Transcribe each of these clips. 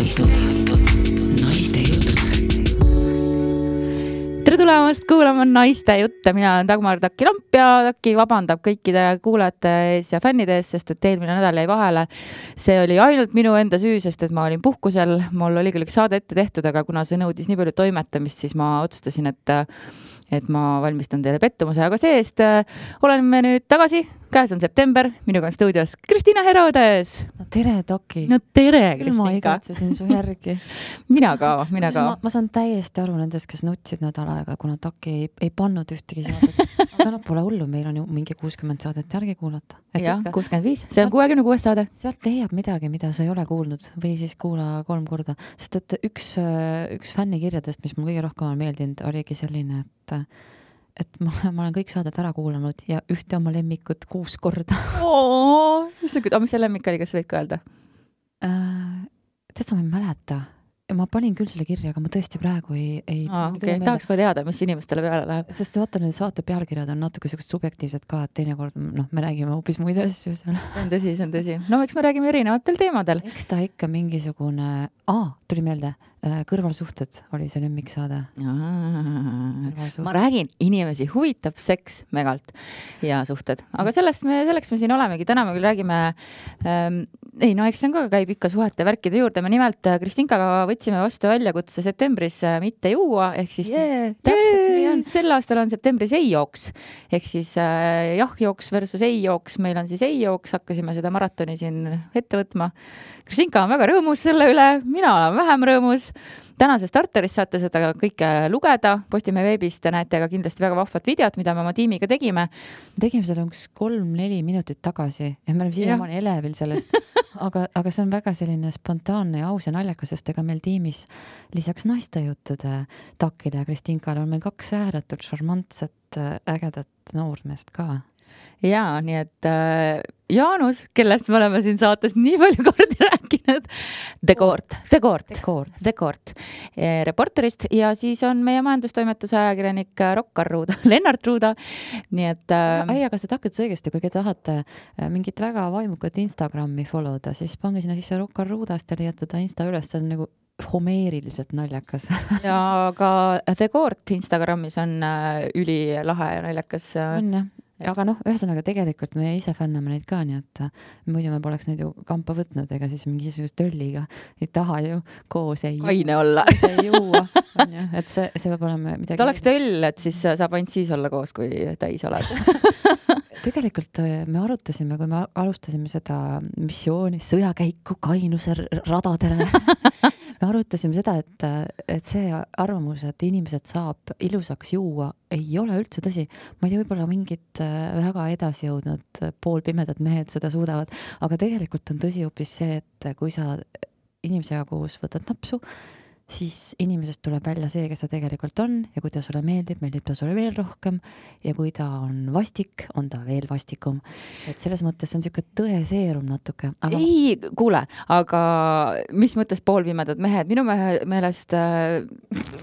Naiste jutud. Tere tulemast kuulama Naiste jutte. Mina olen Dagmar Taki-Lamp ja Taki vabandab kõikide kuulajate ees ja fännide ees, sest et eelmine nädal jäi vahele. See oli ainult minu enda süü, sest et ma olin puhkusel. Mul oli küll üks saade ette tehtud, aga kuna see nõudis nii palju toimetamist, siis ma otsustasin, et ma valmistan teile pettumuse, aga see-eest oleme nüüd tagasi. Käes on september, minuga on stuudios Kristina Herodes. No tere, Taki. No tere, Kristinka. Ma igatsesin su järgi. Mina ka. Ma saan täiesti aru nendest, kes nutsid nädal aega, kuna Taki ei pannud ühtegi saadet. Aga pole hullu, meil on ju mingi 60 saadet järgi kuulata. Jah, 65. See on 66 saade. Sealt leiab midagi, mida sa ei ole kuulnud või siis kuula 3 korda. Sest et üks fännikirjadest, mis mul kõige rohkem on meeldinud, oligi selline, et ma olen kõik saadet ära kuulanud ja ühte oma lemmikut 6 korda. Mis see lemmik oli, kas võid ka öelda? Tead, sa ma ei mäleta. Ma panin küll selle kirja, aga ma tõesti praegu ei tahaks ka teada, mis inimestele peale läheb. Sest vaata, need saate pealkirjad on natuke sellised subjektiivsed ka, et teinekord me räägime hoopis muid asju seal. See on tõsi. No eks me räägime erinevatel teemadel. Eks ta ikka mingisugune... tuli meelde. Kõrvalsuhted oli see lemmiksaade. Ma räägin, inimesi huvitab seks megalt ja suhted. Aga selleks me siin olemegi. Täna me küll räägime... eks see on ka käib ikka suhete värkide juurde. Me nimelt Kristinkaga võtsime vastu väljakutse septembris mitte juua. Ehk siis täpselt nii on. Sel aastal on septembris ei-jooks. Ehk siis jah-jooks versus ei-jooks. Meil on siis ei-jooks. Hakkasime seda maratoni siin ette võtma. Kristinka on väga rõõmus selle üle. Mina olen vähem rõõmus. Tänase starteris saate seda kõike lugeda. Postimehe veebist te näete aga kindlasti väga vahvat videot, mida me oma tiimiga tegime. Tegime selle 3-4 minutit tagasi ja me oleme siiamaani elevil sellest. Aga see on väga selline spontaanne ja aus ja naljakas, sest ega meil tiimis lisaks naistejuttude Takile ja Kristinkale on meil 2 ääretult šarmantset, ägedat noormeest ka. Jaa, nii et Jaanus, kellest me oleme siin saates nii palju kordi rääkinud, Dekord, reporterist ja siis on meie majandustoimetuse ajakirjanik Lennart Ruuda. Nii et... aga see takkut õigesti, kui te tahate mingit väga vaimukat Instagrami followda, siis pange sinna sisse Rokkar Ruudast ja leiate ta Insta üles, see on nagu homeeriliselt naljakas. Ja ka Dekord Instagramis on ülilahe ja naljakas. On jah. Aga ühesõnaga tegelikult me ise fänname neid ka, nii et muidu me poleks neid ju kampa võtnud, ega siis mingisugust tölliga ei taha ju koos ei kaine olla. Ei juua. Et see peab olema midagi. Ta oleks töll, et siis saab ainult siis olla koos, kui täis oled. Tegelikult me arutasime, kui me alustasime seda missiooni sõjakäiku kainuse radadele. Me arutasime seda, et see arvamus, et inimesed saab ilusaks juua, ei ole üldse tõsi. Ma ei tea, võib-olla mingid väga edasi jõudnud poolpimedad mehed seda suudavad, aga tegelikult on tõsi hoopis see, et kui sa inimesega koos võtad napsu, siis inimesest tuleb välja see, kes ta tegelikult on ja kui ta sulle meeldib ta sulle veel rohkem ja kui ta on vastik, on ta veel vastikum. Et selles mõttes on niisugune tõeseerum natuke. Aga... Ei, kuule, aga mis mõttes poolpimedad mehed? Minu meelest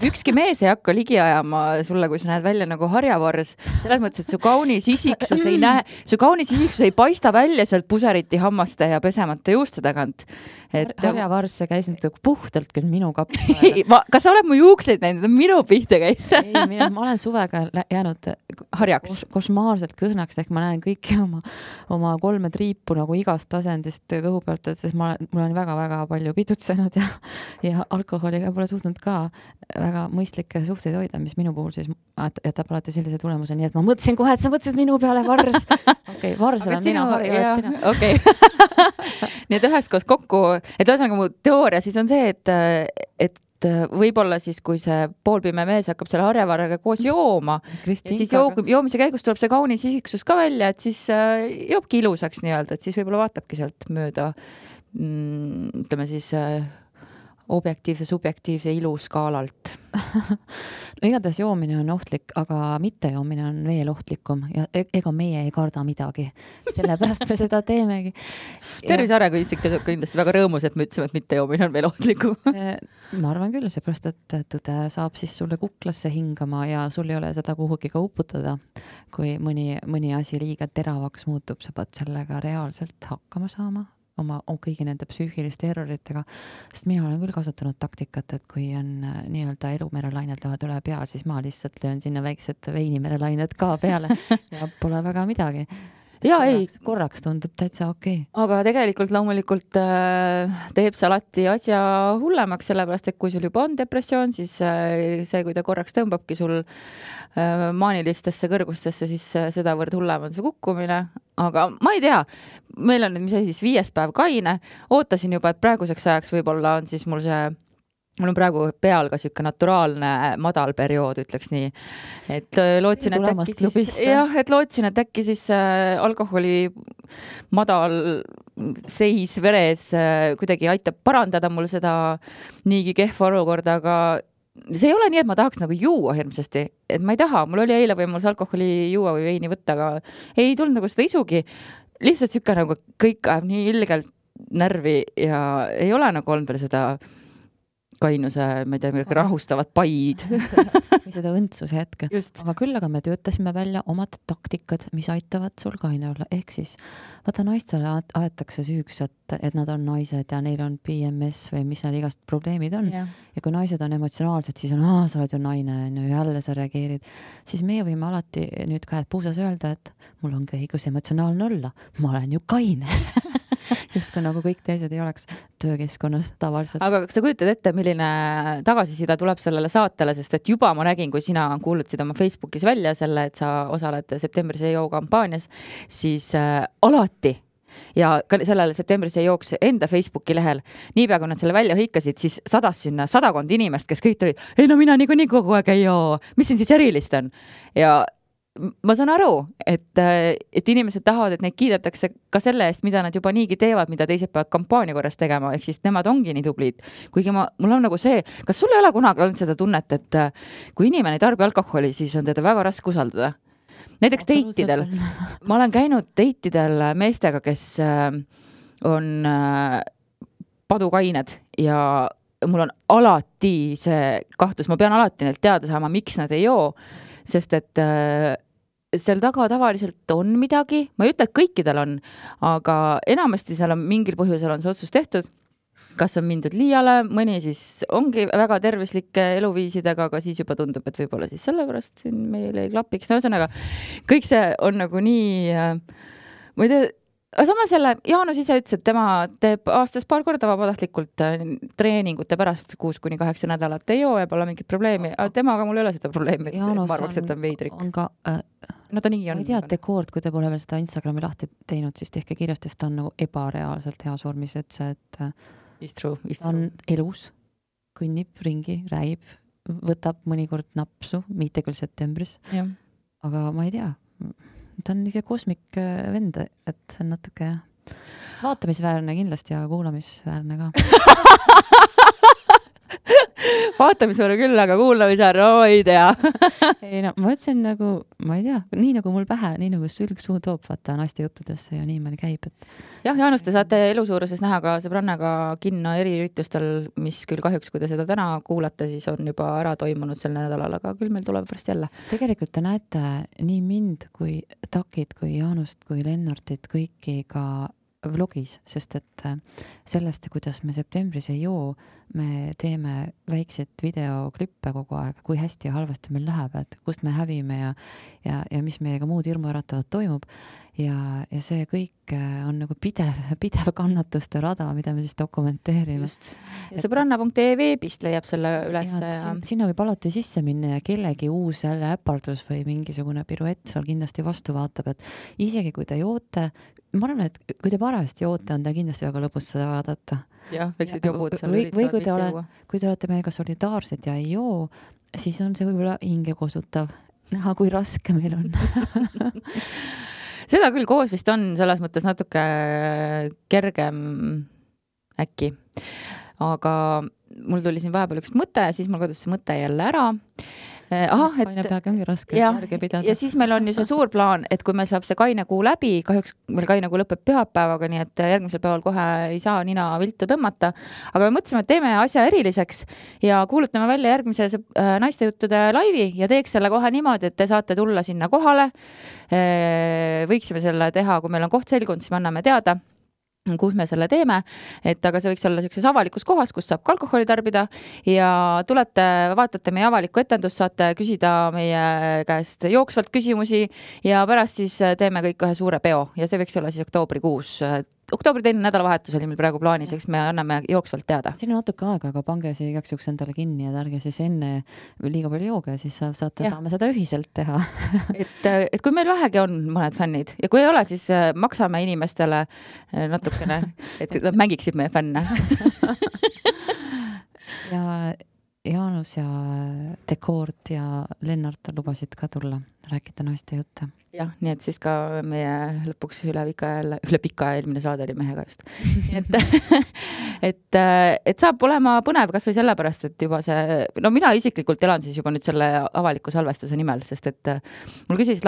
ükski mees ei hakka ligi ajama sulle, kui sa näed välja nagu harjavars. Selles mõttes, et su kaunis isiksus ei paista välja sealt puseriti hammaste ja pesemata juuste tagant. Harjavars käis puhtalt küll minu kapp. Kas sa oled mu juukseid näinud? Minu pihta käis. Ei, ma olen suvega jäänud harjaks. Košmaarselt kõhnaks, ehk ma näen kõiki oma 3 triipu nagu igast asendist kõhu pealt, et siis mul on väga-väga palju pidutsenud ja alkoholiga pole suutnud ka väga mõistlikke suhteid hoida, mis minu puhul siis jätab alati sellise tulemuse, nii et ma mõtlesin kohe, et sa mõtlesid minu peale Vars. Okei, Vars olen mina, harjuvad sina. Okei. Nii et üheskoos kokku, et ühesõnaga mu teooria siis on see, et võib-olla siis, kui see poolpime mees hakkab selle harjavarraga koos jooma, siis joomise käigus tuleb see kaunis isiksus ka välja, et siis joobki ilusaks nii-öelda, et siis võib-olla vaatabki sealt mööda, ütleme siis objektiivse, subjektiivse iluskaalalt. Igatahes joomine on ohtlik, aga mitte joomine on veel ohtlikum ja ega meie ei karda midagi. Sellepärast me seda teemegi. Tervise Arengu Instituut kindlasti väga rõõmus, et me ütlesime, et mitte joomine on veel ohtlikum. Ma arvan küll, seepärast, et tõde saab siis sulle kuklasse hingama ja sul ei ole seda kuhugi ka uputada. Kui mõni asi liiga teravaks muutub, sa pead sellega reaalselt hakkama saama oma kõigi nende psüühiliste erroritega, sest mina olen küll kasutanud taktikat, et kui on nii-öelda elumerelained löövad üle pea, siis ma lihtsalt löön sinna väiksed veinimerelained ka peale ja pole väga midagi. Ja ei, korraks tundub täitsa okei. Aga tegelikult loomulikult teeb see alati asja hullemaks, sellepärast, et kui sul juba on depressioon, siis see, kui ta korraks tõmbabki sul maanilistesse kõrgustesse, siis sedavõrd hullem on see kukkumine. Aga ma ei tea, meil on nüüd, mis siis 5. päev kaine, ootasin juba, et praeguseks ajaks võib-olla on siis mul on praegu peal ka siuke naturaalne madal periood, ütleks nii. Et lootsin, et äkki siis alkoholi madal seis veres kuidagi aitab parandada mul seda niigi kehva olukorda, aga see ei ole nii, et ma tahaks nagu juua hirmsasti, et ma ei taha, mul oli eile võimalus alkoholi juua või veini võtta, aga ei tulnud nagu seda isugi. Lihtsalt siuke nagu kõik ajab nii ilgelt närvi ja ei ole nagu olnud veel seda kainuse, ma ei tea, rahustavad paid. Või seda õndsuse hetke. Aga küll aga me töötasime välja omad taktikad, mis aitavad sul kaine olla. Ehk siis, vaata naistele aetakse süüks, et nad on naised ja neil on PMS või mis need igast probleemid on. Ja kui naised on emotsionaalsed, siis on, sa oled ju naine, jälle sa reageerid. Siis meie võime alati nüüd käed puusas öelda, et mul ongi õigus emotsionaalne olla. Ma olen ju kaine. Just kui nagu kõik teised ei oleks töökeskkonnas tavaliselt. Aga kas sa kujutad ette, milline tagasisida tuleb sellele saatele, sest et juba ma nägin, kui sina kuulutasid oma Facebookis välja selle, et sa osaled septembris EO kampaanias, siis alati ja ka sellele septembris jooks enda Facebooki lehel, niipea kui nad selle välja hõikasid, siis sadas sinna 100 inimest, kes kõik tulid, ei no mina nii kogu aeg ei joo, mis siin siis erilist on? Ja ma saan aru, et inimesed tahavad, et neid kiidetakse ka selle eest, mida nad juba niigi teevad, mida teised peavad kampaania korras tegema, ehk siis nemad ongi nii tublid. Kuigi mul on nagu see, kas sul ei ole kunagi olnud seda tunnet, et kui inimene ei tarbi alkoholi, siis on teda väga raske usaldada? Näiteks deitidel. Ma olen käinud deitidel meestega, kes on padukained ja mul on alati see kahtlus, ma pean alati neilt teada saama, miks nad ei joo, sest et seal taga tavaliselt on midagi, ma ei ütle, et kõikidel on, aga enamasti seal on mingil põhjusel on see otsus tehtud, kas on mindud liiale, mõni siis ongi väga tervislike eluviisidega, aga siis juba tundub, et võib-olla siis sellepärast siin meil ei klapiks. No ühesõnaga, kõik see on nagu nii, ma ei tea, aga samas jälle, Jaanus ise ütles, et tema teeb aastas paar korda vabatahtlikult treeningute pärast 6-8 nädalat ei joo ja pole mingit probleemi, aga temaga mul ei ole seda probleemi, ma arvaks, et on veidrik. On ka, no ta nii on. Ma ei tea, Dekoord, kui te pole veel seda Instagrami lahti teinud, siis tehke kirjast, et ta on nagu ebareaalselt heas vormis, et see, et on elus, kõnnib ringi, rääib, võtab mõnikord napsu, mitte küll septembris, aga ma ei tea, ta on ikka kosmik vend, et see on natuke vaatamisväärne kindlasti ja kuulamisväärne ka. Vaatamisväärne küll, aga kuulamisväärne, no ei tea. Ei no, ma ütlesin nagu, ma ei tea, nii nagu mul pähe, nii nagu sülg suu toob, vaata naiste juttudesse ja nii meil käib. Et... Jah, Jaanus, te saate elusuuruses näha ka sõbrannaga kinno eriüritustel, mis küll kahjuks, kui te seda täna kuulate, siis on juba ära toimunud sel nädalal, aga küll meil tuleb pärast jälle. Tegelikult te näete nii mind kui Takit, kui Jaanust, kui Lennartit, kõiki ka vlogis, sest et sellest, kuidas me septembris ei joo, me teeme väikseid videoklippe kogu aeg, kui hästi ja halvasti meil läheb, et kust me hävime ja mis meiega muud hirmuäratavat toimub. Ja see kõik on nagu pidev kannatuste rada, mida me siis dokumenteerime. Just. Ja sõbranna.ee veebist leiab selle üles. Sinna võib alati sisse minna ja kellegi uus jälle äpardus või mingisugune piruett seal kindlasti vastu vaatab, et isegi kui te joote, ma arvan, et kui te parajasti joote, on teil kindlasti väga lõbus seda vaadata. Jah, väikseid jobud seal või kui te olete meiega solidaarsed ja ei joo, siis on see võib-olla hinge kosutav. Näha, kui raske meil on. Seda küll koos vist on selles mõttes natuke kergem äkki. Aga mul tuli siin vahepeal üks mõte, siis mul kadus see mõte jälle ära. Kaine peaga ongi raske järge pidada. Ja siis meil on ju see suur plaan, et kui meil saab see kainekuu läbi, kahjuks meil kainekuu lõpeb pühapäevaga, nii et järgmisel päeval kohe ei saa nina viltu tõmmata. Aga me mõtlesime, et teeme asja eriliseks ja kuulutame välja järgmise naistejuttude laivi ja teeks selle kohe niimoodi, et te saate tulla sinna kohale. Võiksime selle teha, kui meil on koht selgunud, siis me anname teada. kus me selle teeme, et aga see võiks olla sellises avalikus kohas, kus saab ka alkoholi tarbida ja tulete, vaatate meie avalikku etendust, saate küsida meie käest jooksvalt küsimusi ja pärast siis teeme kõik ühe suure peo ja see võiks olla siis oktoobrikuus. Oktoobri teine nädalavahetus oli meil praegu plaanis, eks me anname jooksvalt teada. Siin on natuke aega, aga pange see igaks juhuks endale kinni ja ärge siis enne liiga palju jooga ja siis saame seda ühiselt teha. et kui meil vähegi on mõned fännid ja kui ei ole, siis maksame inimestele natukene, et nad mängiksid meie fänne. Ja Jaanus ja Dekoort ja Lennart lubasid ka tulla rääkida naiste jutte. Jah, nii et siis ka meie lõpuks üle pika eelmine saade oli mehega just. et saab olema põnev kas või sellepärast, et juba see, no mina isiklikult elan siis juba nüüd selle avaliku salvestuse nimel, sest et mul küsis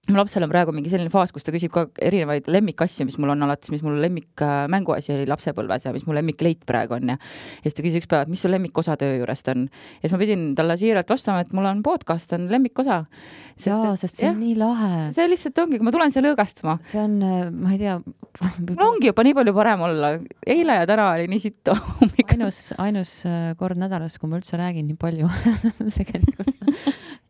mu lapsel on praegu mingi selline faas, kus ta küsib ka erinevaid lemmikasju, mis mul on alates, mis mul lemmik mänguasi oli lapsepõlves ja mis mul lemmik leit praegu on ja siis ta küsis üks päev, et mis sul lemmikosa töö juurest on. Ja siis ma pidin talle siiralt vastama, et mul on podcast, on lemmikosa. Sest see on nii lahe. See lihtsalt ongi, kui ma tulen see lõõgastuma. See on, ma ei tea. Mul ongi juba nii palju parem olla. Eile ja täna oli nii sitt. Ainus kord nädalas, kui ma üldse räägin nii palju tegelikult.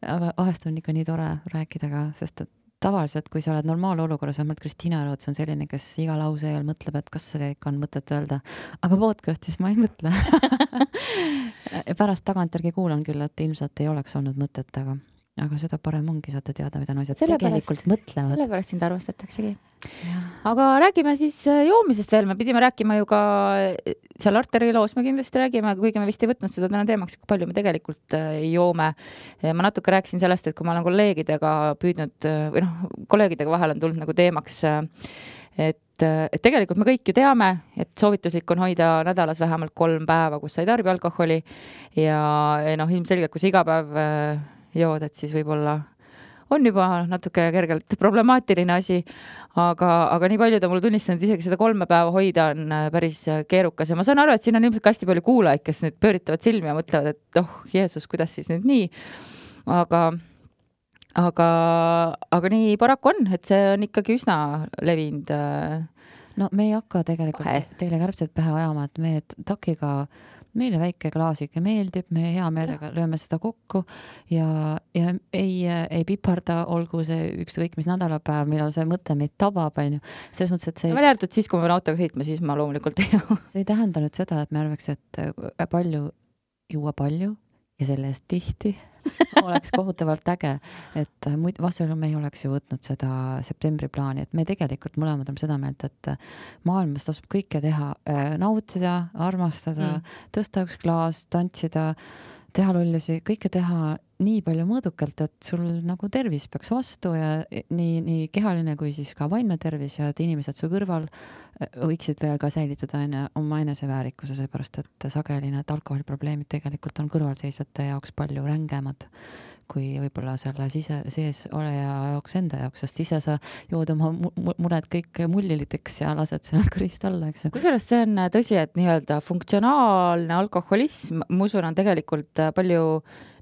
Aga vahest on ikka nii tore rääkida ka, sest et tavaliselt, kui sa oled normaalolukorras, vähemalt Kristiina Roots on selline, kes iga lause eel mõtleb, et kas see ikka on mõtet öelda. Aga podcastis ma ei mõtle. Pärast tagantjärgi kuulan küll, et ilmselt ei oleks olnud mõtet, aga seda parem ongi, saate teada, mida naised tegelikult mõtlevad. Sellepärast sind arvestataksegi. Aga räägime siis joomisest veel. Me pidime rääkima ju ka seal Arteri loos, me kindlasti räägime, kuigi me vist ei võtnud seda täna teemaks, kui palju me tegelikult joome. Ma natuke rääkisin sellest, et kui ma olen kolleegidega püüdnud, või kolleegidega vahel on tulnud nagu teemaks, et tegelikult me kõik ju teame, et soovituslik on hoida nädalas vähemalt 3 päeva, kus sa ei tarbi alkoholi ja ilmselgelt, kui sa iga päev jood, et siis võib-olla on juba natuke kergelt problemaatiline asi, aga nii palju ta mulle tunnistanud, isegi seda 3 päeva hoida on päris keerukas ja ma saan aru, et siin on ilmselt hästi palju kuulajaid, kes nüüd pööritavad silmi ja mõtlevad, et Jeesus, kuidas siis nüüd nii, aga nii paraku on, et see on ikkagi üsna levinud. No me ei hakka tegelikult teile kärbsed pähe ajama, et me takiga meile väike klaasike meeldib, me hea meelega lööme seda kokku ja ei piparda, olgu see ükskõik mis nädalapäev, millal see mõte meid tabab, on ju. Selles mõttes, et see... Välja arvatud siis, kui ma pean autoga sõitma, siis ma loomulikult ei joo. See ei tähenda nüüd seda, et me arvaks, et juua palju ja selle eest tihti oleks kohutavalt äge, et vastasel me ei oleks ju võtnud seda septembri plaani, et me tegelikult mõlemad oleme seda meelt, et maailmas tasub kõike teha, nautida, armastada, tõsta üks klaas, tantsida, teha lollusi, kõike teha nii palju mõõdukalt, et sul nagu tervis peaks vastu ja nii kehaline kui siis ka vaimne tervis ja et inimesed su kõrval võiksid veel ka säilitada oma eneseväärikuse, seepärast et sageli need alkoholiprobleemid tegelikult on kõrvalseisjate jaoks palju rängemad kui võib-olla selle sees oleja jaoks enda jaoks, sest ise sa jood oma mured kõik mulliliteks ja lased seal kõrist alla, eks. Kusjuures see on tõsi, et nii-öelda funktsionaalne alkoholism, ma usun, on tegelikult palju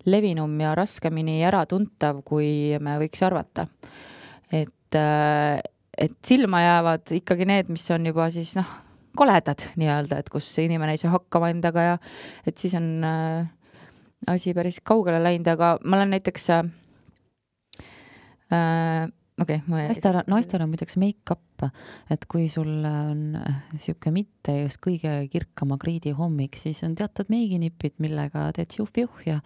levinum ja raskemini äratuntav, kui me võiks arvata. Et silma jäävad ikkagi need, mis on juba siis koledad nii-öelda, et kus inimene ei saa hakkama endaga ja et siis on asi päris kaugele läinud, aga ma olen näiteks naistel on muideks make-up, et kui sul on siuke mitte just kõige kirkama kriidi hommik, siis on teatud meiginipid, millega teed juh-juh ja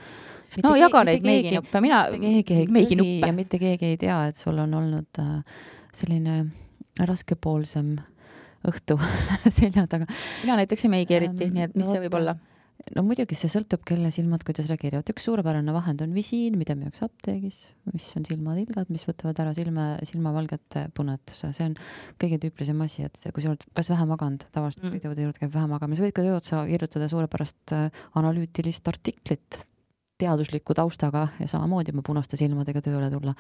jaga neid meiginippe, ja mitte keegi ei tea, et sul on olnud selline raskepoolsem õhtu selja taga. Mina näiteks ei meigi eriti, nii et mis see võib olla? No muidugi see sõltub, kelle silmad kuidas reageerivad. Üks suurepärane vahend on visiin, mida müüakse apteegis, mis on silmatilgad, mis võtavad ära silmavalgete punetuse. See on kõige tüüpilisem asi, et kui sa oled kas vähe maganud, tavaliselt videode juurde käib vähe magama, sa võid ka tööotsa kirjutada suurepärast analüütilist artiklit teadusliku taustaga ja samamoodi oma punaste silmadega tööle tulla.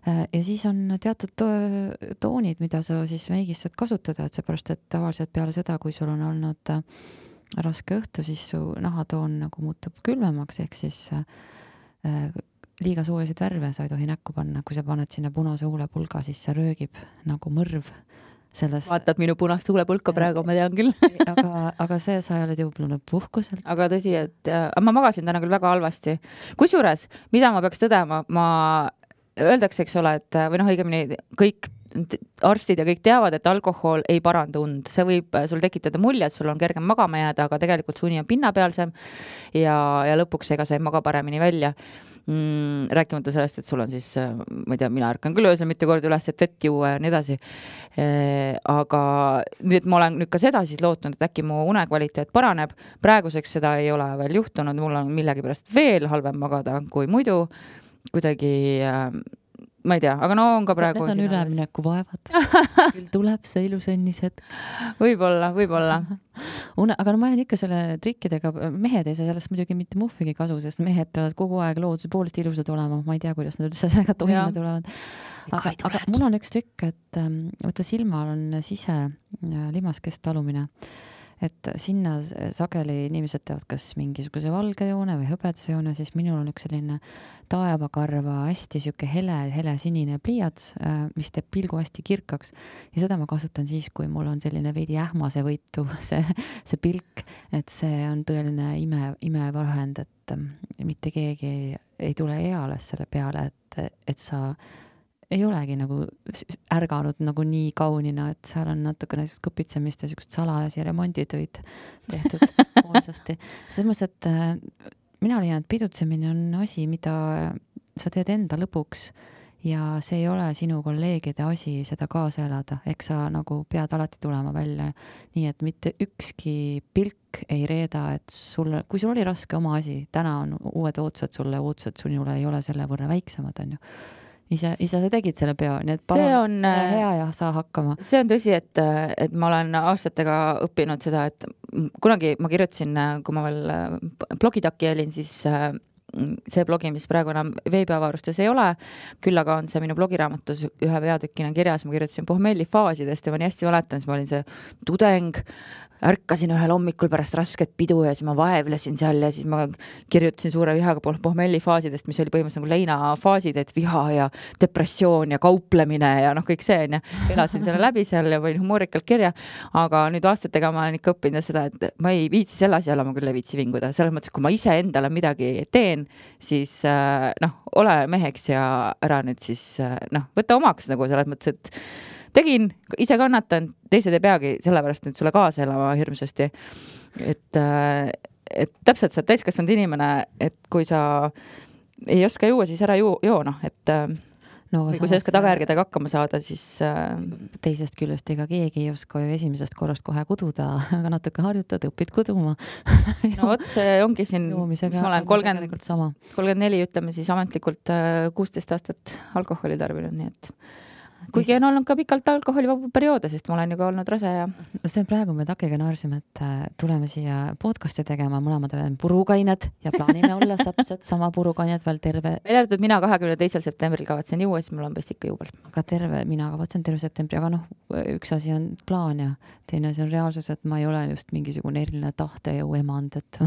Ja siis on teatud toonid, mida sa siis meigis saad kasutada, et seepärast, et tavaliselt peale seda, kui sul on olnud raske õhtu, siis su nahatoon nagu muutub külmemaks, ehk siis liiga soojasid värve sa ei tohi näkku panna. Kui sa paned sinna punase huulepulga, siis see röögib nagu mõrv selles. Vaatad minu punast huulepulka praegu, ma tean küll. aga see, sa oled jõudnud puhkuselt. Aga tõsi, et ma magasin täna küll väga halvasti. Kusjuures, mida ma peaks tõdema, öeldakse, eks ole, et või õigemini kõik arstid ja kõik teavad, et alkohol ei paranda und. See võib sul tekitada mulje, et sul on kergem magama jääda, aga tegelikult su uni on pinnapealsem ja lõpuks ega sa ei maga paremini välja. Rääkimata sellest, et sul on siis, ma ei tea, mina ärkan küll öösel mitu korda üles, et vett juua ja nii edasi. Aga nüüd ma olen nüüd ka seda siis lootnud, et äkki mu unekvaliteet paraneb. Praeguseks seda ei ole veel juhtunud, mul on millegipärast veel halvem magada kui muidu. Kuidagi, ma ei tea, aga no on ka praegu... Need on ülemineku vaevad. Küll tuleb see ilus õnnised. Võib-olla. Aga no ma jään ikka selle trikkidega, mehed ei saa sellest muidugi mitte muhvigi kasu, sest mehed peavad kogu aeg looduse poolest ilusad olema. Ma ei tea, kuidas nad üldse sellega toime tulevad. Aga mul on üks trikk, et võtta silmal on sise limaskest talumine. Et sinna sageli inimesed teevad kas mingisuguse valge joone või hõbedase joone, siis minul on üks selline taevakarva hästi siuke hele sinine pliiats, mis teeb pilgu hästi kirkaks ja seda ma kasutan siis, kui mul on selline veidi ähmase võitu see pilk, et see on tõeline imevahend, et mitte keegi ei tule eales selle peale, et sa ei olegi nagu ärganud nagu nii kaunina, et seal on natuke näiteks kõpitsemist ja siukest salajasi remonditöid tehtud hoolsasti. Selles mõttes, et mina leian, et pidutsemine on asi, mida sa teed enda lõpuks ja see ei ole sinu kolleegide asi seda kaasa elada. Eks sa nagu pead alati tulema välja nii, et mitte ükski pilk ei reeda, et kui sul oli raske oma asi, täna on uued ootused sulle, ootused sinule ei ole selle võrra väiksemad, on ju. Ise sa tegid selle peo, nii et palun hea ja saa hakkama. See on tõsi, et ma olen aastatega õppinud seda, et kunagi ma kirjutasin, kui ma veel blogitaki olin, siis see blogi, mis praegu enam veebiavarustes ei ole, küll aga on see minu blogiraamatus ühe peatükina kirjas, ma kirjutasin pohmellifaasidest ja ma nii hästi mäletan, siis ma olin see tudeng, ärkasin ühel hommikul pärast rasket pidu ja siis ma vaevlesin seal ja siis ma kirjutasin suure vihaga pohmellifaasidest, mis oli põhimõtteliselt nagu leinafaasid, et viha ja depressioon ja kauplemine ja kõik see on ja elasin selle läbi seal ja võin humoorikalt kirja, aga nüüd aastatega ma olen ikka õppinud seda, et ma ei viitsi selle asja olla, ma küll ei viitsi vinguda. Selles mõttes, kui ma ise endale midagi teen, siis ole meheks ja ära nüüd siis võta omaks nagu selles mõttes, et tegin, ise kannatan, teised ei peagi sellepärast nüüd sulle kaasa elama hirmsasti. Et täpselt sa täiskasvanud inimene, et kui sa ei oska juua, siis ära joo, et kui sa ei oska tagajärgedega hakkama saada, siis teisest küljest ega keegi ei oska ju esimesest korrast kohe kududa, aga natuke harjutad, õpid kuduma. No vot, see ongi siin, mis ma olen 34, ütleme siis ametlikult 16 aastat alkoholi tarbinud, nii et kuigi on olnud ka pikalt alkoholivabu perioode, sest ma olen ju ka olnud rase ja... See praegu me takiga naarsime, et tuleme siia podcasti tegema, mõlemad oleme purukained ja plaanime olla täpselt sama purukained veel terve... Meil järgtud mina 22. septembril kavatsen juua, siis mul on vist ikka juubel. Aga mina kavatsen terve septembri, aga üks asi on plaan ja teine asi on reaalsus, et ma ei ole just mingisugune eriline tahtejõu emand, et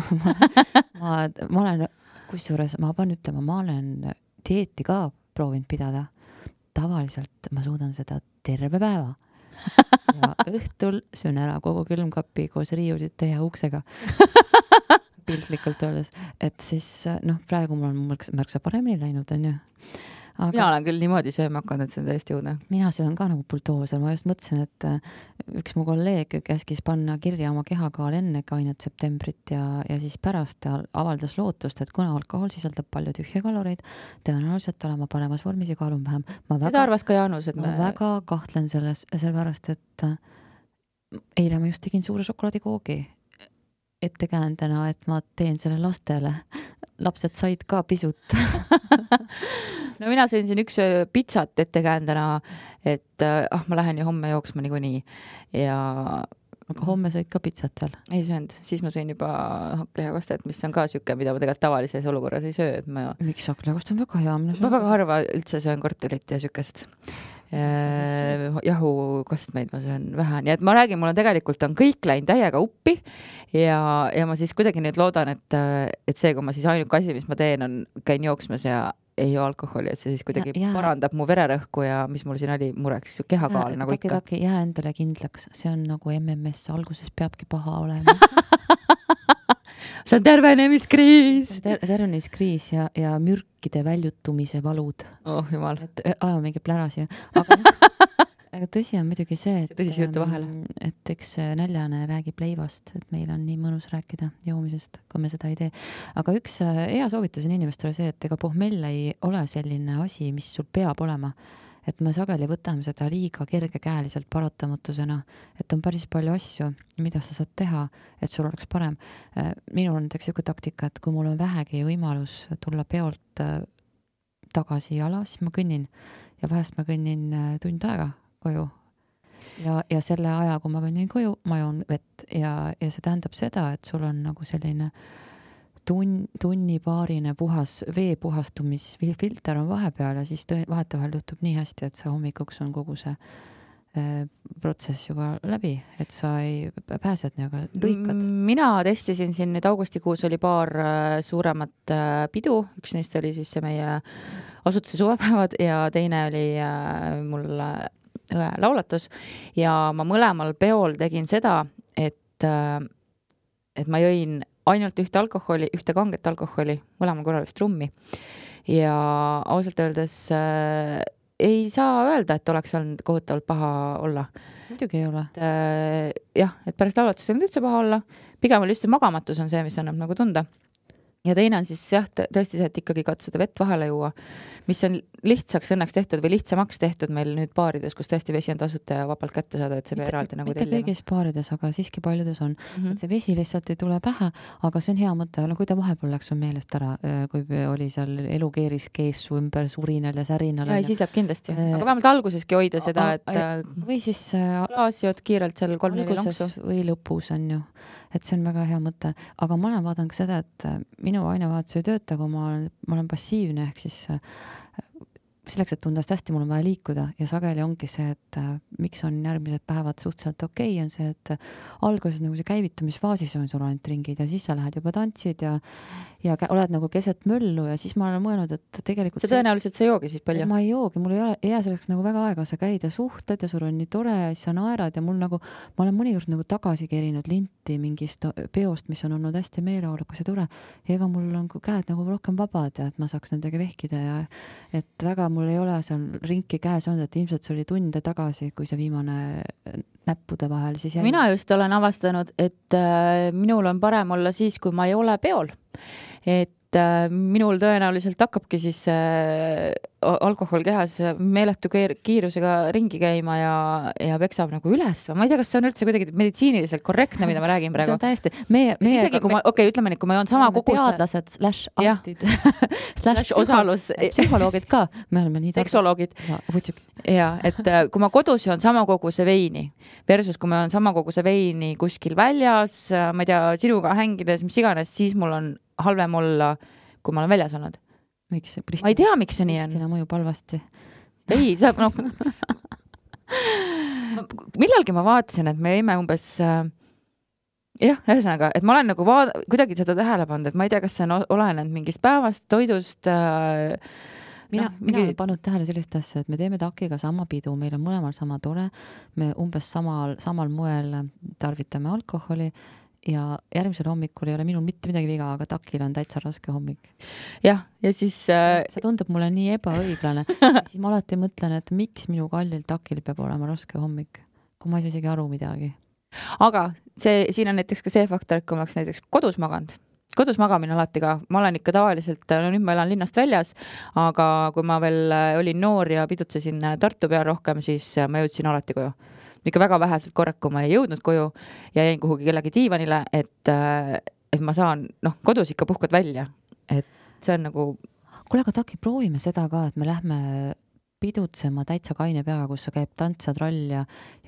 ma olen, kusjuures ma pean ütlema, ma olen dieeti ka proovinud pidada. Tavaliselt ma suudan seda terve päeva ja õhtul söön ära kogu külmkapi koos riiulite ja uksega piltlikult öeldes, et siis praegu mul on märksa paremini läinud, on ju. Aga mina olen küll niimoodi sööma hakanud, et see on täiesti õudne. Mina söön ka nagu bultooser, ma just mõtlesin, et üks mu kolleeg käskis panna kirja oma kehakaal enne kainet septembrit ja siis pärast avaldas lootust, et kuna alkohol sisaldab palju tühje kaloreid, tõenäoliselt olema paremas vormis ja kaalun vähem. Seda arvas ka Jaanus, et ma väga kahtlen selles, sellepärast, et eile ma just tegin suure šokolaadikoogi ettekäändena, et ma teen selle lastele. Lapsed said ka pisut. No mina sõin siin üks pitsat ettekäändena, et ma lähen ju homme jooksma niikuinii ja... Aga homme sõid ka pitsat veel? Ei söönud, siis ma sõin juba hakklihakostet, mis on ka siuke, mida ma tegelikult tavalises olukorras ei söö. Miks hakklihakostet on väga hea? Ma väga harva üldse söön kortelit ja siukest jahukostmeid ma söön vähe, nii et ma räägin, mul on tegelikult kõik läinud täiega uppi ja ma siis kuidagi nüüd loodan, et see, kui ma siis ainuke asi, mis ma teen, on käin jooksmas ja ei joo alkoholi, et see siis kuidagi parandab mu vererõhku ja mis mul siin oli mureks, kehakaal nagu ikka. Jää endale kindlaks, see on nagu MMS, alguses peabki paha olema. See on tervenemiskriis. Tervenemiskriis ja mürkide väljutumise valud. Oh, jumal. Aja mingi plärasi. Aga tõsi on muidugi see, et eks näljane räägib leivast, et meil on nii mõnus rääkida joomisest, kui me seda ei tee. Aga üks hea soovitus on inimestele see, et ega pohmell ei ole selline asi, mis sul peab olema. Et me sageli võtame seda liiga kergekäeliselt paratamatusena, et on päris palju asju, mida sa saad teha, et sul oleks parem. Minul on näiteks üks taktika, et kui mul on vähegi võimalus tulla peolt tagasi jala, siis ma kõnnin ja vahest ma kõnnin tund aega koju. Ja selle aja, kui ma kõnnin koju, ma joon vett ja see tähendab seda, et sul on nagu selline tunnipaarine puhas veepuhastumisfilter on vahepeal ja siis vahetevahel juhtub nii hästi, et sa hommikuks on kogu see protsess juba läbi, et sa ei pääsed nagu lõikad. Mina testisin siin nüüd augustikuus oli paar suuremat pidu, üks neist oli siis see meie asutuse suvepäevad ja teine oli mul laulatus ja ma mõlemal peol tegin seda, et ma jõin ainult ühte kanget alkoholi, mõlemal korral vist rummi. Ja ausalt öeldes ei saa öelda, et oleks olnud kohutavalt paha olla. Muidugi ei ole. Jah, et pärast laulatust ei olnud üldse paha olla. Pigem oli just see magamatus on see, mis annab nagu tunda. Ja teine on siis jah, tõesti see, et ikkagi katsuda vett vahele juua, mis on lihtsaks õnneks tehtud või lihtsamaks tehtud meil nüüd baarides, kus tõesti vesi on tasuta ja vabalt kätte saada, et see eraldi nagu tellima. Mitte kõigis baarides, aga siiski paljudes on. Et see vesi lihtsalt ei tule pähe, aga see on hea mõte. Kui ta vahepeal läks on meelest ära, kui oli seal elukeeris keessu ümber surinal ja särinal. Ja siis jääb kindlasti. Aga vähemalt alguseski hoida seda, et või siis klaasiod kiirelt seal 3-4 lonksu. Või lõpus on ju. Et see on väga hea mõte. Aga ma olen vaadanud ka seda, et minu ainevahetus ei tööta, kui ma olen passiivne, ehk siis selleks, et tundest hästi, mul on vaja liikuda ja sageli ongi see, et miks on järgmised päevad suhteliselt okei, on see, et alguses nagu see käivitumisfaasis on sul ainult ringid ja siis sa lähed juba tantsid ja oled nagu keset möllu ja siis ma olen mõelnud, et tegelikult see tõenäoliselt sa joogi siis palju? Ma ei joogi, mul ei jää selleks nagu väga aega, sa käid ja suhtled ja sul on nii tore ja sa naerad ja mul nagu, ma olen mõnikord nagu tagasi kerinud linti mingist peost, mis on olnud hästi meeleolukas ja tore ja ega mul on käed nagu rohkem vabad ja et ma saaks nendega vehkida ja et väga mul ei ole seal rinki käes olnud, et ilmselt see oli tunde tagasi, kui see viimane näppude vahel siis jäi. Mina just olen avastanud, et minul on parem olla siis, kui ma ei ole peol. Et minul tõenäoliselt hakkabki siis alkohol kehas meeletu kiirusega ringi käima ja peksab nagu üles. Ma ei tea, kas see on üldse kuidagi meditsiiniliselt korrektne, mida ma räägin praegu. See on täiesti. Isegi kui ma, ütleme nii, kui ma joon sama kogus... Teadlased / arstid / osalus. Psühholoogid ka. Me oleme nii seksoloogid. Ja, et kui ma kodus joon sama koguse veini versus kui ma joon sama koguse veini kuskil väljas, ma ei tea, sinuga hängides, mis iganes, siis mul on halvem olla, kui ma olen väljas olnud. Miks? Ma ei tea, miks see nii on. Pristina mõjub halvasti. Ei, saab millalgi ma vaatasin, et me jäime umbes ühesõnaga, et ma olen nagu kuidagi seda tähele pannud, et ma ei tea, kas see on olenenud mingist päevast, toidust. Mina olen pannud tähele sellist asja, et me teeme takiga sama pidu, meil on mõlemal sama tore, me umbes samal moel tarvitame alkoholi ja järgmisel hommikul ei ole minul mitte midagi viga, aga takil on täitsa raske hommik. Ja siis... See tundub mulle nii ebaõiglane. Siis ma alati mõtlen, et miks minu kallil takil peab olema raske hommik, kui ma ei saa isegi aru midagi. Aga siin on näiteks ka see faktor, et kui ma oleks näiteks kodus maganud. Kodus magamine alati ka. Ma olen ikka tavaliselt, nüüd ma elan linnast väljas, aga kui ma veel olin noor ja pidutsesin Tartu peal rohkem, siis ma jõudsin alati koju. Ikka väga väheselt korrak, kui ma ei jõudnud koju ja jäin kuhugi kellegi diivanile, et ma saan, kodus ikka puhkad välja. Et see on nagu... Kuule, aga Taki, proovime seda ka, et me lähme pidutsema täitsa kaine peaga, kus sa käib tantsad roll ja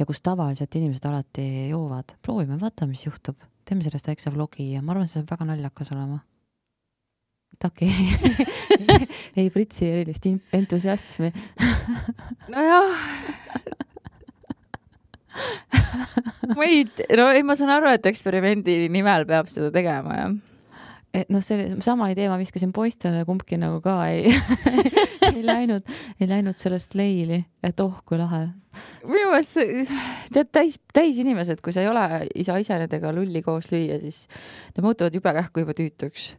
kus tavaliselt inimesed alati joovad. Proovime, vaata, mis juhtub. Teeme sellest väikse vlogi ja ma arvan, see saab väga naljakas olema. Taki ei pritsi erilist entusiasmi. Nojah... ma saan aru, et eksperimendi nimel peab seda tegema, jah. noh, see sama idee ma viskasin poistele, kumbki nagu ka ei läinud sellest leili, et kui lahe. Minu meelest tead täis inimesed, kui sa ei ole isa nendega lulli koos lüüa, siis need muutuvad jube kähku juba tüütuks.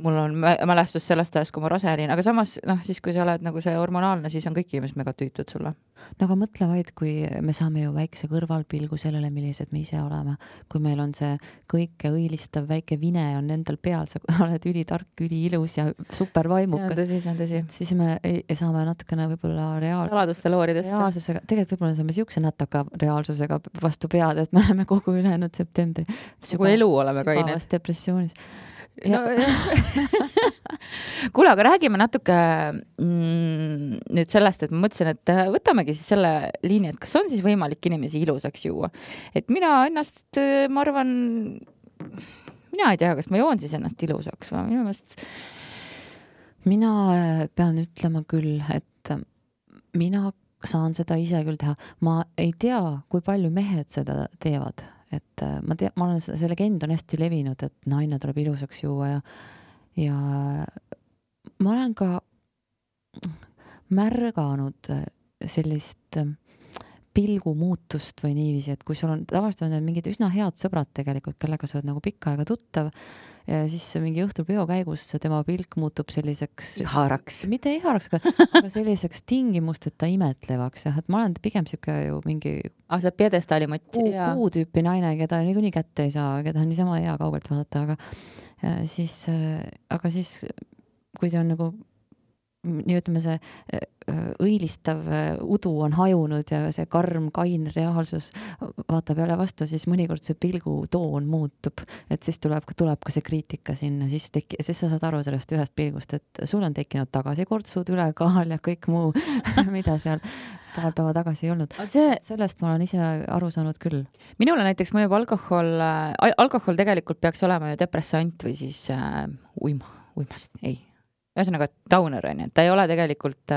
Mul on mälestus sellest ajast, kui ma rase olin, aga samas, siis kui sa oled nagu see hormonaalne, siis on kõik inimesed mega tüütud sulle. No aga mõtle vaid, kui me saame ju väikse kõrvalpilgu sellele, millised me ise oleme. Kui meil on see kõike õilistav väike vine on endal peal, sa oled ülitark, üliilus ja supervaimukas. See on tõsi. Siis me saame natukene võib-olla saladuste looridest. Reaalsusega, tegelikult võib-olla saame siukse natuke reaalsusega vastu pead, et me oleme kogu ülejäänud septembri. Kogu elu oleme kained. Depressioonis. No, kuule, aga räägime natuke nüüd sellest, et ma mõtlesin, et võtamegi siis selle liini, et kas on siis võimalik inimesi ilusaks juua. Et mina ennast, ma arvan, mina ei tea, kas ma joon siis ennast ilusaks või minu meelest. Mina pean ütlema küll, et mina saan seda ise küll teha. Ma ei tea, kui palju mehed seda teevad. Et ma olen, see legend on hästi levinud, et naine tuleb ilusaks juua ja ma olen ka märganud sellist pilgumuutust või niiviisi, et kui sul on tavaliselt on mingid üsna head sõbrad tegelikult, kellega sa oled nagu pikka aega tuttav ja siis mingi õhtul peo käigus tema pilk muutub selliseks iharaks. Mitte iharaks, aga selliseks tingimusteta imetlevaks. Et ma olen pigem siuke ju mingi see piedestaali mott. Kuu tüüpi naine, keda niikuinii kätte ei saa, keda on niisama hea kaugelt vaadata, aga siis kui ta on nagu nii ütleme, see õilistav udu on hajunud ja see karm, kain reaalsus vaatab jälle vastu, siis mõnikord see pilgu toon muutub, et siis tuleb ka see kriitika sinna, siis sa saad aru sellest ühest pilgust, et sul on tekkinud tagasikortsud, ülekaal ja kõik muu, mida seal paar päeva tagasi ei olnud. Sellest ma olen ise aru saanud küll. Minule näiteks mõjub alkohol tegelikult peaks olema ju depressant või siis uimast, ei. Ühesõnaga downer on, et ta ei ole tegelikult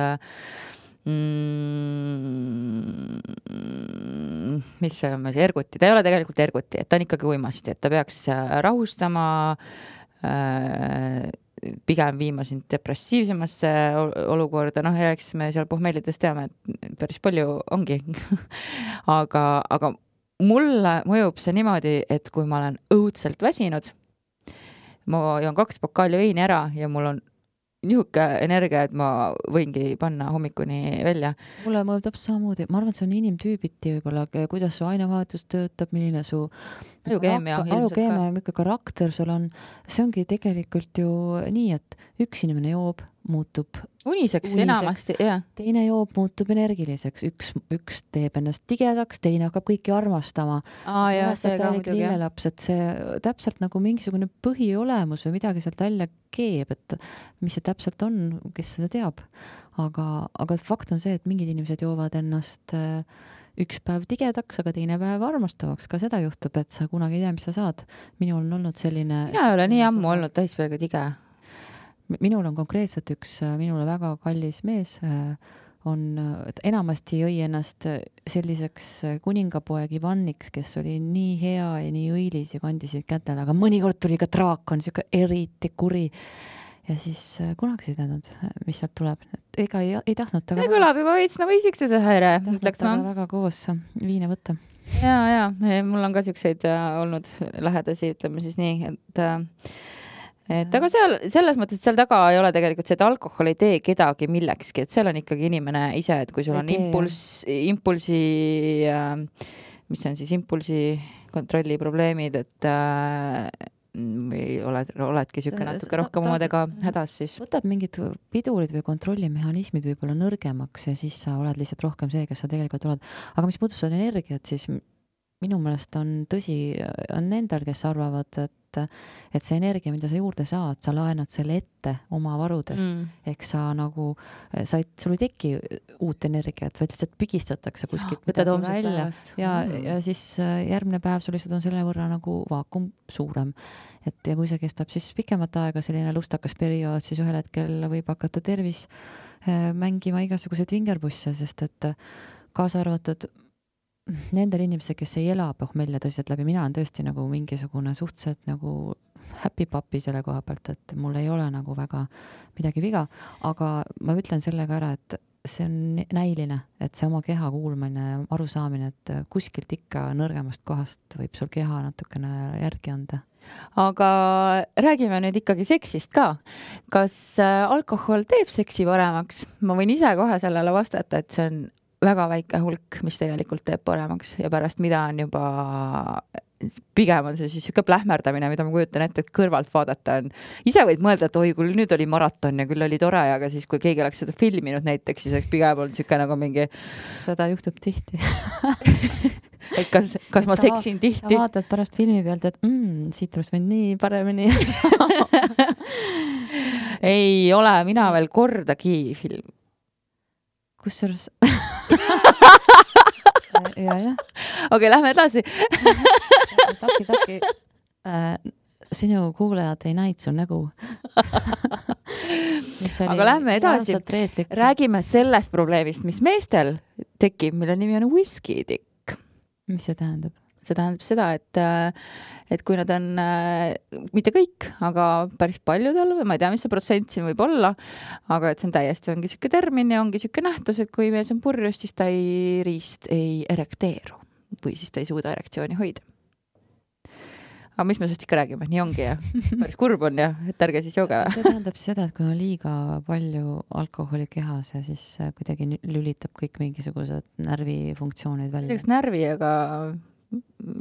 mis see on, erguti, ta ei ole tegelikult erguti, et ta on ikkagi uimasti, et ta peaks rahustama, pigem viima sind depressiivsemasse olukorda, ja eks me seal pohmellides teame, et päris palju ongi. aga mulle mõjub see niimoodi, et kui ma olen õudselt väsinud, ma joon 2 pokaali veini ära ja mul on nihuke energia, et ma võingi panna hommikuni välja. Mulle mõjub täpselt samamoodi. Ma arvan, et see on inimtüübiti võib-olla, kuidas su ainevahetus töötab, milline su ajukeemia, milline karakter sul on. See ongi tegelikult ju nii, et üks inimene joob, muutub uniseks enamasti, jah. Teine joob, muutub energiliseks. Üks teeb ennast tigedaks, teine hakkab kõiki armastama. See ka muidugi. Lillelaps, et see täpselt nagu mingisugune põhiolemus või midagi sealt välja keeb, et mis see täpselt on, kes seda teab. Aga fakt on see, et mingid inimesed joovad ennast üks päev tigedaks, aga teine päev armastavaks. Ka seda juhtub, et sa kunagi ei tea, mis sa saad. Minul on olnud selline... Mina ei ole nii ammu olnud täispeaga tige. Minul on konkreetselt üks minule väga kallis mees, enamasti jõi ennast selliseks kuningapoeg Ivanniks, kes oli nii hea ja nii õilis ja kandisid kätele, aga mõnikord tuli ka draakon, siuke eriti kuri. Ja siis kunagi ei teadnud, mis sealt tuleb. Ega ei tahtnud ta... See kõlab juba veits nagu isiksuse häire, ütleks ma. Väga koos viine võtta. Ja, mul on ka siukseid olnud lähedasi, ütleme siis nii, et aga selles mõttes, et seal taga ei ole tegelikult see, et alkohol ei tee kedagi millekski, et seal on ikkagi inimene ise, et kui sul on impulsi, mis on siis impulsi kontrolli probleemid, et või oledki siuke natuke rohkem omadega hädas, siis võtab mingid pidurid või kontrollimehhanismid võib-olla nõrgemaks ja siis sa oled lihtsalt rohkem see, kes sa tegelikult oled. Aga mis puudutab seda energiat, siis minu meelest on tõsi, on nendel, kes arvavad, et see energia, mida sa juurde saad, sa laenad selle ette oma varudest. Ehk sa nagu, sul ei teki uut energiat, vaid lihtsalt pigistatakse kuskilt. Võtad homsest päevast. Ja siis järgmine päev sul lihtsalt on selle võrra nagu vaakum suurem. Ja kui see kestab siis pikemat aega, selline lustakas periood, siis ühel hetkel võib hakata tervis mängima igasuguseid vingerbusse, sest et kaasa arvatud nendel inimestel, kes ei ela pohmelja tõsiselt läbi, mina olen tõesti nagu mingisugune suhteliselt nagu happy papi selle koha pealt, et mul ei ole nagu väga midagi viga, aga ma ütlen sellega ära, et see on näiline, et see oma keha kuulmine, arusaamine, et kuskilt ikka nõrgemast kohast võib sul keha natukene järgi anda. Aga räägime nüüd ikkagi seksist ka. Kas alkohol teeb seksi paremaks? Ma võin ise kohe sellele vastata, et see on väga väike hulk, mis tegelikult teeb paremaks ja pärast mida on juba pigem on see siis siuke plähmerdamine, mida ma kujutan ette, et kõrvalt vaadata on. Ise võid mõelda, et oi, küll nüüd oli maraton ja küll oli tore, aga siis kui keegi oleks seda filminud näiteks, siis oleks pigem olnud siuke nagu mingi... Seda juhtub tihti. Et kas ma seksin tihti? Sa vaatad pärast filmi pealt, et siit oleks võinud nii paremini. Ei ole mina veel kordagi film. Kusjuures ja. Okei, lähme edasi. Taki. Sinu kuulajad ei näinud su nägu. Aga lähme edasi. Räägime sellest probleemist, mis meestel tekib, mille nimi on whisky-tikk. Mis see tähendab? See tähendab seda, et kui nad on, mitte kõik, aga päris paljudel, või ma ei tea, mis see protsent siin võib olla, aga et see on täiesti ongi siuke termin ja ongi siuke nähtus, et kui mees on purjus, siis ta riist ei erekteeru või siis ta ei suuda erektsiooni hoida. Aga mis me sellest ikka räägime? Nii ongi ja päris kurb on ja et ärge siis jooge. See tähendab seda, et kui on liiga palju alkoholi kehas ja siis kuidagi lülitab kõik mingisugused närvifunktsioonid välja. Üks närvi, aga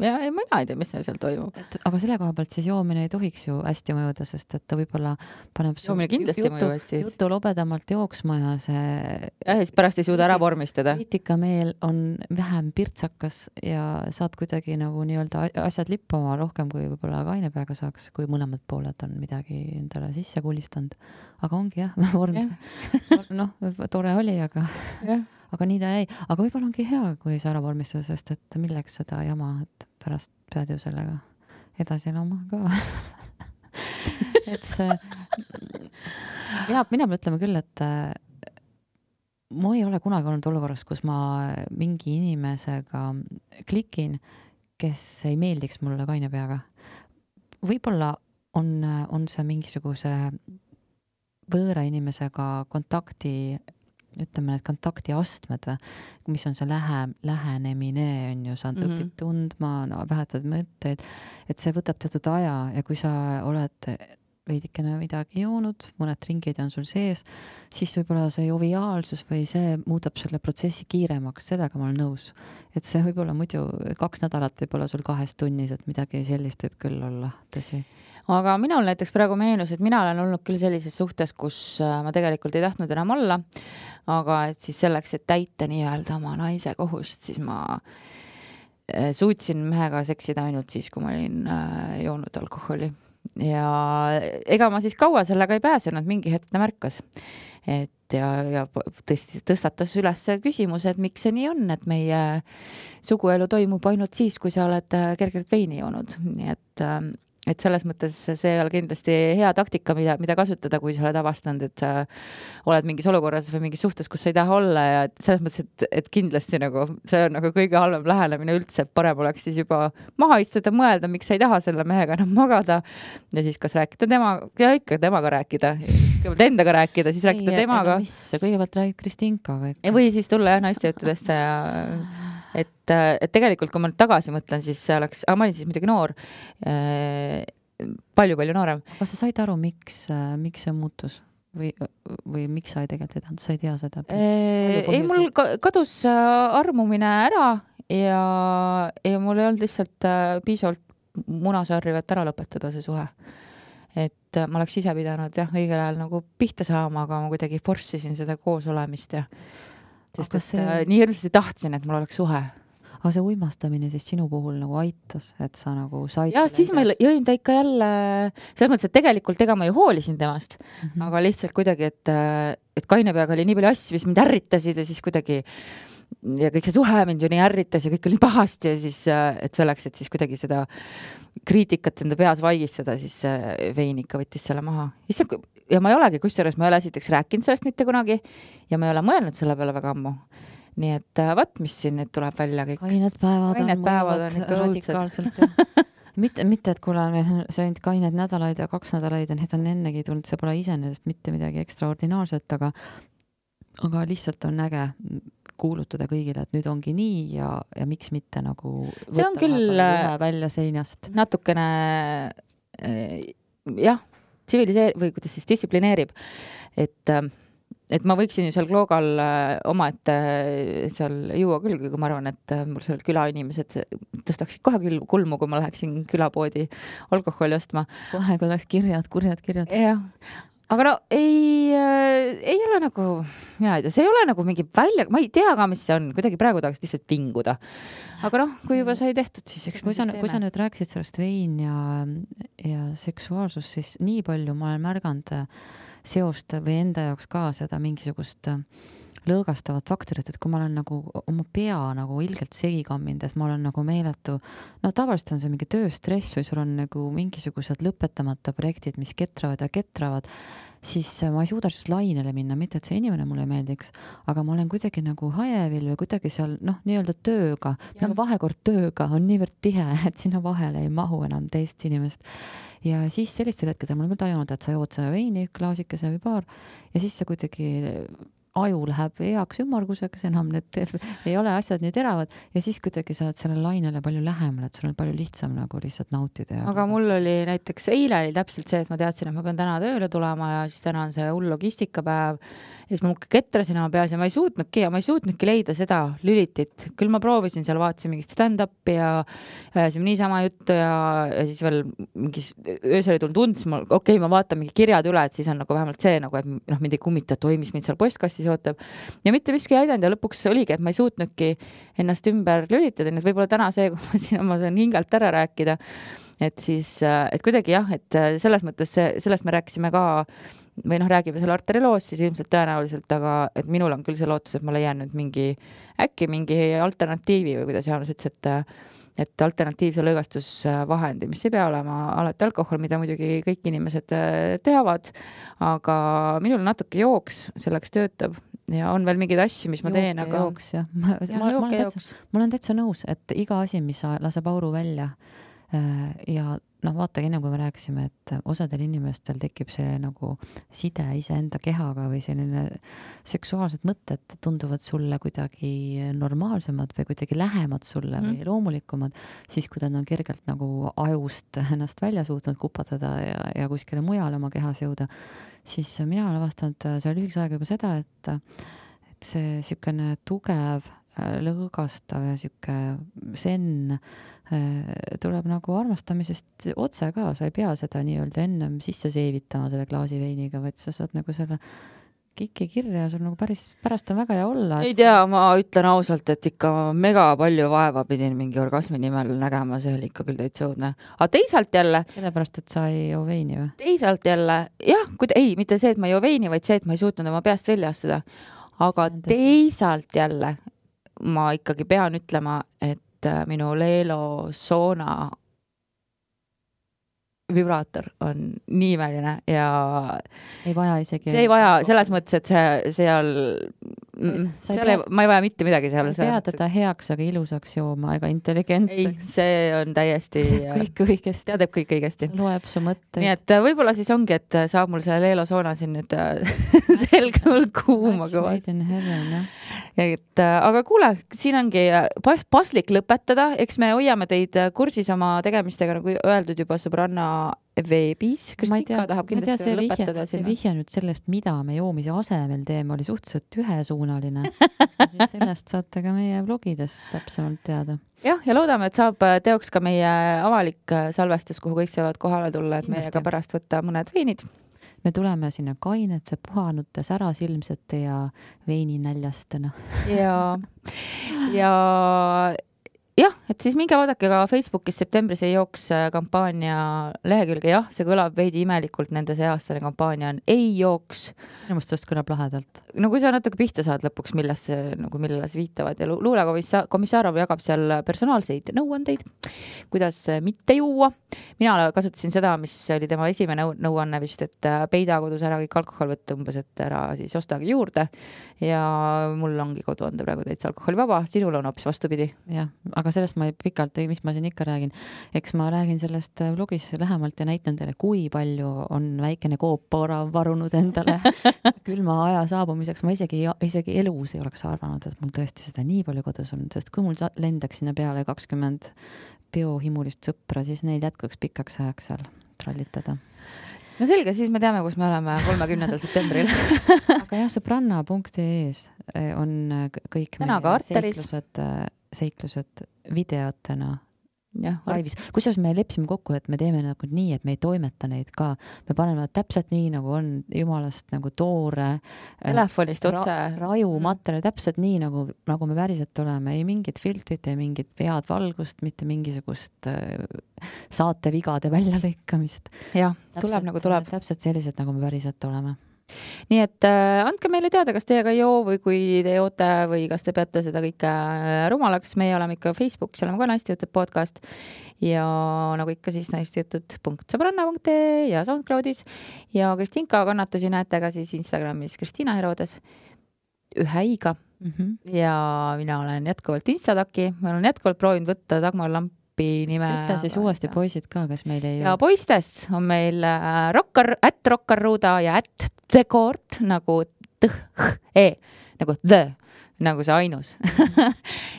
ja mina ei tea, mis seal toimub. Aga selle koha pealt siis joomine ei tohiks ju hästi mõjuda, sest et ta võib-olla paneb joomine kindlasti mõju hästi. Jutu lobedamalt jooksma ja see... Ja siis pärast ei suuda ära vormistada. Kriitikameel on vähem pirtsakas ja saad kuidagi nagu nii-öelda asjad lippama rohkem, kui võib-olla kaine peaga saaks, kui mõlemad pooled on midagi endale sisse kulistanud. Aga ongi jah, vormistada. Noh, tore oli, aga... Aga nii ta jäi. Aga võib-olla ongi hea, kui sa ära vormistada, sest et milleks seda jama, et pärast pead ju sellega edasi elama ka. Et see... Mina mõtleme küll, et ma ei ole kunagi olnud olukorras, kus ma mingi inimesega klikin, kes ei meeldiks mulle kaine peaga. Võib-olla on see mingisuguse võõra inimesega kontakti ütleme, need kontaktiastmed, mis on see lähenemine, on ju, sa õpid tundma, vähetad mõtteid, et see võtab teatud aja ja kui sa oled veidikene midagi joonud, mõned ringid on sul sees, siis võib-olla see joviaalsus või see muudab selle protsessi kiiremaks, sellega ma olen nõus. Et see võib-olla muidu 2 nädalat võib-olla sul 2 tunnis, et midagi sellist võib küll olla, tõsi. Aga minul näiteks praegu meenus, et mina olen olnud küll sellises suhtes, kus ma tegelikult ei tahtnud enam olla, aga et siis selleks, et täita nii-öelda oma naise kohust, siis ma suutsin mehega seksida ainult siis, kui ma olin joonud alkoholi. Ja ega ma siis kaua sellega ei pääsenud, mingi hetk ta märkas. Et ja tõstatas üles küsimus, et miks see nii on, et meie suguelu toimub ainult siis, kui sa oled kergelt veini joonud. Nii et selles mõttes see ei ole kindlasti hea taktika, mida kasutada, kui sa oled avastanud, et sa oled mingis olukorras või mingis suhtes, kus sa ei taha olla ja selles mõttes, et kindlasti nagu, see on nagu kõige halvem lähenemine üldse, et parem oleks siis juba maha istuda, mõelda, miks sa ei taha selle mehega enam magada ja siis kas rääkida temaga rääkida, kõigepealt endaga rääkida, siis rääkida temaga. Kõigepealt räägid Kristinkaga. Või siis tulla naiste juttudesse ja et tegelikult, kui ma nüüd tagasi mõtlen, siis see oleks, ma olin siis muidugi noor, palju noorem. Aga sa said aru, miks see muutus? Või miks sa ei tegelikult ei tahtnud? Sa ei tea seda? Ei, mul kadus armumine ära ja mul ei olnud lihtsalt piisavalt munasarri, et ära lõpetada see suhe. Et ma oleks ise pidanud õigel ajal nagu pihta saama, aga ma kuidagi forssisin seda koos olemist ja sest nii hirmsasti tahtsin, et mul oleks suhe. Aga see uimastamine siis sinu puhul nagu aitas, et sa nagu said... Ja siis ma jõin ta ikka jälle... Selles mõttes, et tegelikult ma ju hoolisin temast, aga lihtsalt kuidagi, et kaine peaga oli nii palju asju, mis mind ärritasid ja siis kuidagi... Ja kõik see suhe mind ju nii ärritas ja kõik oli pahasti ja siis, et selleks, et siis kuidagi seda kriitikat enda peas vaigistada, siis vein ikka võttis selle maha. Ja ma ei olegi, kusjuures ma ei ole esiteks rääkinud sellest mitte kunagi ja ma ei ole mõelnud selle peale väga ammu. nii et vaat, mis siin nüüd tuleb välja kõik. Kained päevad on radikaalselt. mitte, et kuule, see ainult kained nädalaid ja 2 nädalaid ja need on ennegi tulnud, see pole iseenesest mitte midagi ekstraordinaarset, aga lihtsalt on äge kuulutada kõigile, et nüüd ongi nii ja miks mitte nagu see on küll välja seinast. Natukene jah, või kuidas siis distsiplineerib, et ma võiksin ju seal Kloogal omaette seal juua küll, kui ma arvan, et mul seal külainimesed tõstaksid kohe kulmu, kui ma läheksin külapoodi alkoholi ostma. Kohe, kui oleks kurjad. Jah. Aga no ei ole nagu, see ei ole nagu mingi välja, ma ei tea ka, mis see on, kuidagi praegu tahaks lihtsalt vinguda. Aga noh, kui juba sai tehtud, siis eks kui sa nüüd rääkisid sellest vein ja seksuaalsus, siis nii palju ma olen märganud seost või enda jaoks ka seda mingisugust lõõgastavat faktorit, et kui ma olen nagu oma pea nagu ilgelt segi kamminud, et ma olen nagu meeletu, no tavaliselt on see mingi tööstress või sul on nagu mingisugused lõpetamata projektid, mis ketravad, siis ma ei suuda siis lainele minna, mitte et see inimene mulle meeldiks, aga ma olen kuidagi nagu hajevil või kuidagi seal nii-öelda tööga, nagu vahekord tööga on niivõrd tihe, et sinna vahele ei mahu enam teist inimest. Ja siis sellistel hetkedel ma olen küll tajunud, et sa jood selle veini, klaasikese või paar ja siis sa kuidagi aju läheb heaks ümmarguseks, enam need ei ole asjad nii teravad ja siis kuidagi sa oled selle lainele palju lähemal, et sul on palju lihtsam nagu lihtsalt nautida. Aga mul oli näiteks eile oli täpselt see, et ma teadsin, et ma pean täna tööle tulema ja siis täna on see hull logistikapäev ja siis ma ketrasin oma peas ja ma ei suutnudki leida seda lülitit. Küll ma proovisin seal, vaatasin mingit stand-upi ja niisama juttu ja siis veel mingis öösel tulnud unds, ma vaatan mingi kirjad üle, et siis on nagu vähemalt see, nagu, et mind ei kummita, mis mind seal postkastis ootab. Ja mitte miski ei aidanud ja lõpuks oligi, et ma ei suutnudki ennast ümber lülitada, nii et võib-olla täna see, kui ma siin oma hingalt ära rääkida, et siis, et kuidagi jah, et selles mõttes sellest me rääkisime ka või räägime selle arteriooloos, siis ilmselt tõenäoliselt, aga et minul on küll see lootus, et ma leian nüüd mingi alternatiivi või kuidas Jaanus ütles, et alternatiivse lõõgastusvahendi, mis ei pea olema alati alkohol, mida muidugi kõik inimesed teavad, aga minul natuke jooks selleks töötab ja on veel mingeid asju, mis ma teen, aga jooks, jah. Ma olen täitsa nõus, et iga asi, mis laseb auru välja ja vaata, enne kui me rääkisime, et osadel inimestel tekib see nagu side iseenda kehaga või selline seksuaalsed mõtted tunduvad sulle kuidagi normaalsemad või kuidagi lähemad sulle või loomulikumad, siis kui ta on kergelt nagu ajust ennast välja suutnud kupatada ja kuskile mujale oma kehas jõuda, siis mina olen avastanud selle lühikese aega juba seda, et see siukene tugev, lõõgastav ja siuke senn tuleb nagu armastamisest otse ka, sa ei pea seda nii-öelda ennem sisse seevitama selle klaasi veiniga, vaid sa saad nagu selle kiki kirja ja sul nagu pärast on väga hea olla. Ei tea, ma ütlen ausalt, et ikka mega palju vaeva pidin mingi orgasmi nimel nägema, see oli ikka küll täitsa õudne. Aga teisalt jälle... Sellepärast, et sa ei joo veini või? Teisalt jälle, jah, mitte see, et ma ei joo veini, vaid see, et ma ei suutnud oma peast välja astuda. Aga teisalt jälle ma ikkagi pean ütlema, et minu Leelo Soona vibraator on nii imeline ja ei vaja isegi. See ei vaja selles mõttes, et seal ma ei vaja mitte midagi seal. Sa ei pea teda heaks, aga ilusaks jooma ega intelligentseks. Ei, see on täiesti kõik õigesti. Teadeb kõik õigesti. Loeb su mõtteid. Nii et võib-olla siis ongi, et saab mul see Leelo Soona siin nüüd selgemalt kuuma kõvasti. Aga kuule, siin ongi paslik lõpetada, eks me hoiame teid kursis oma tegemistega, nagu öeldud juba sõbranna veebis, Kristika tahab kindlasti lõpetada sinna. See vihja nüüd sellest, mida me joomise asemel teeme, oli suhteliselt ühesuunaline. Sellest saate ka meie blogidest täpsemalt teada. Jah, ja loodame, et saab teoks ka meie avalik salvestus, kuhu kõik saavad kohale tulla, et meiega pärast võtta mõned veinid. Me tuleme sinna kainete, puhanute, särasilmsete ja veininäljastena. Ja et siis minge vaadake ka Facebookis septembris ei jooks kampaania lehekülge. Jah, see kõlab veidi imelikult, nende see aastane kampaania on ei jooks. Minu mõttes sellest kõlab lahedalt. No kui sa natuke pihta saad lõpuks, millele see viitavad ja luulekomissarov jagab seal personaalseid nõuandeid, kuidas mitte juua, mina kasutasin seda, mis oli tema esimene nõuanne vist, et peida kodus ära kõik alkohol võtta umbes, et ära siis ostagi juurde ja mul ongi koduande praegu täitsa alkoholivaba, sinul on hoopis vastupidi. Jah, aga sellest ma pikalt, mis ma siin ikka räägin, eks ma räägin sellest vlogis lähemalt ja näitan teile, kui palju on väikene Coop varunud endale külma aja saabumiseks. Ma isegi elus ei oleks arvanud, et mul tõesti seda nii palju kodus on, sest kui mul lendaks sinna peale 20 biohimulist sõpra, siis neil jätkuks pikaks ajaks seal trallitada. No selge, siis me teame, kus me oleme 30. septembril. Aga jah, sõbranna.ee-s on kõik seiklused videotena laivis. Kusjuures me lepsime kokku, et me teeme nagu nii, et me ei toimeta neid ka. Me paneme täpselt nii, nagu on jumalast nagu toore telefonist otse raju materjal, täpselt nii, nagu me päriselt oleme. Ei mingit filtrit, ei mingit pead valgust, mitte mingisugust saatevigade väljalõikamist. Jah, tuleb nagu tuleb. Täpselt sellised, nagu me päriselt oleme. Nii et andke meile teada, kas teiega ei joo või kui te joote või kas te peate seda kõike rumalaks. Meie oleme ikka Facebookis, oleme ka Naiste Jutud podcast ja nagu ikka siis naistejutud.sõbranna.ee ja SoundCloudis ja Kristinka kannatusi näete ka siis Instagramis Kristina Herodes ühe iga ja mina olen jätkuvalt Instadaki, ma olen jätkuvalt proovinud võtta Dagmar Lampi nime. Ütle siis uuesti poisid ka, kas meil ei ja poistest on meil @rockarruuda ja @thekort nagu nagu the, nagu see ainus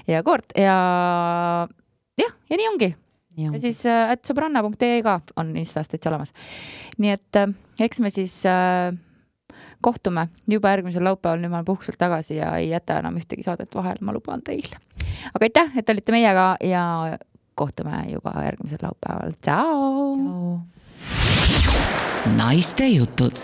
ja koort ja nii ongi. Ja siis @sõbranna.ee ka on Instas täitsa olemas. Nii et eks me siis kohtume juba järgmisel laupäeval, nüüd ma olen puhkuselt tagasi ja ei jäta enam ühtegi saadet vahel, ma luban teile. Aga aitäh, et olite meiega ja kohtume juba järgmisel laupäeval. Ciao! Naiste jutud.